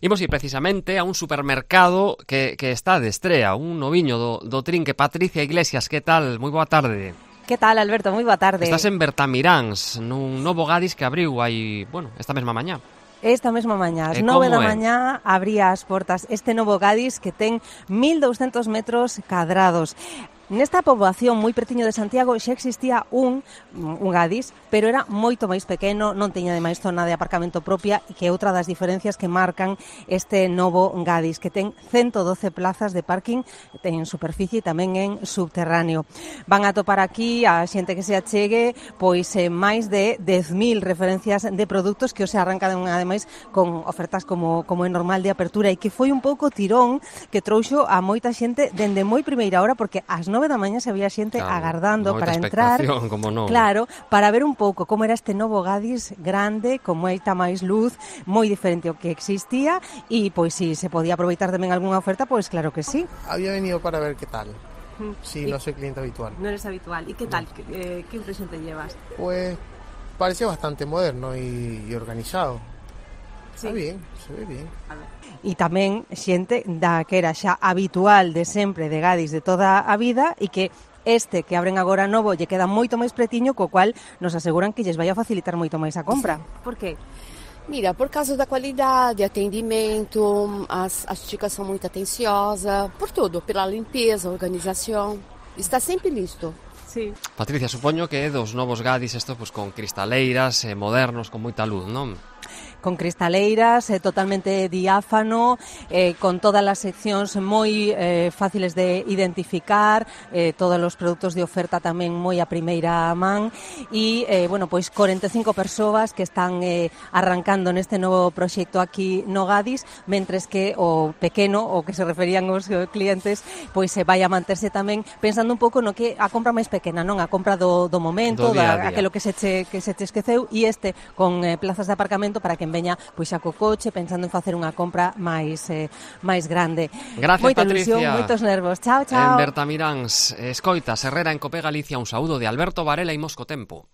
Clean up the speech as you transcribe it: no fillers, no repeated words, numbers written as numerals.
Imos ir precisamente a un supermercado que está de estrea, un noviño do Trinque. Patricia Iglesias, que tal? Moi boa tarde. Que tal, Alberto? Moi boa tarde. Estás en Bertamiráns, nun novo Gadis que abriu aí, esta mesma mañá. Esta mesma mañá, ás 9 da mañá, abría as portas este novo Gadis que ten 1.200 metros cadrados. Nesta poboación moi pretiño de Santiago xa existía un Gadis, pero era moito máis pequeno, non teña ademais zona de aparcamento propia, e que é outra das diferencias que marcan este novo Gadis, que ten 112 plazas de parking, ten superficie e tamén en subterráneo. Van a topar aquí a xente que se achegue pois máis de 10.000 referencias de produtos que se arrancan ademais con ofertas como é normal de apertura, e que foi un pouco tirón que trouxo a moita xente dende moi primeira hora, porque ás 9 da mañá se había xente agardando para entrar, como non. Claro, para ver un pouco como era este novo Gadis grande, con moita máis luz, moi diferente ao que existía, e pois si se podía aproveitar tamén algunha oferta, pois claro que sí. Había venido para ver qué tal. Sí, no soy cliente habitual. No eres habitual. ¿Y qué tal? ¿Qué impresión te llevas? Pues parecía bastante moderno y organizado. Sí. Está bien, se ve bien. A ver. E tamén xente da que era xa habitual de sempre de Gadis de toda a vida, e que este que abren agora novo lle queda moito máis pretiño, co cual nos aseguran que lles vai a facilitar moito máis a compra. Por qué? Mira, por causa da qualidade, atendimento, as chicas são muito atenciosas, por tudo, pela limpeza, organização, está sempre listo. Sí. Patricia, supoño que é dos novos Gadis estos con cristaleiras, modernos, con moita luz, non? Con cristaleiras, totalmente diáfano, con todas as seccións moi fáciles de identificar, todos os produtos de oferta tamén moi a primeira man, e, pois 45 persoas que están arrancando neste novo proxecto aquí no Gadis, mentres que o pequeno, o que se referían os clientes, pois vai a manterse tamén pensando un pouco no que a compra máis pequena, non a compra do momento, aquilo que se te esqueceu, e este con plazas de aparcamento para que veña pois xa co coche pensando en facer unha compra máis grande. Gracias, moita Patricia. Ilusión, moitos nervos. Chao, chao. En Bertamiráns, escoita, Herrera en Cope Galicia, un saúdo de Alberto Varela e Mosco Tempo.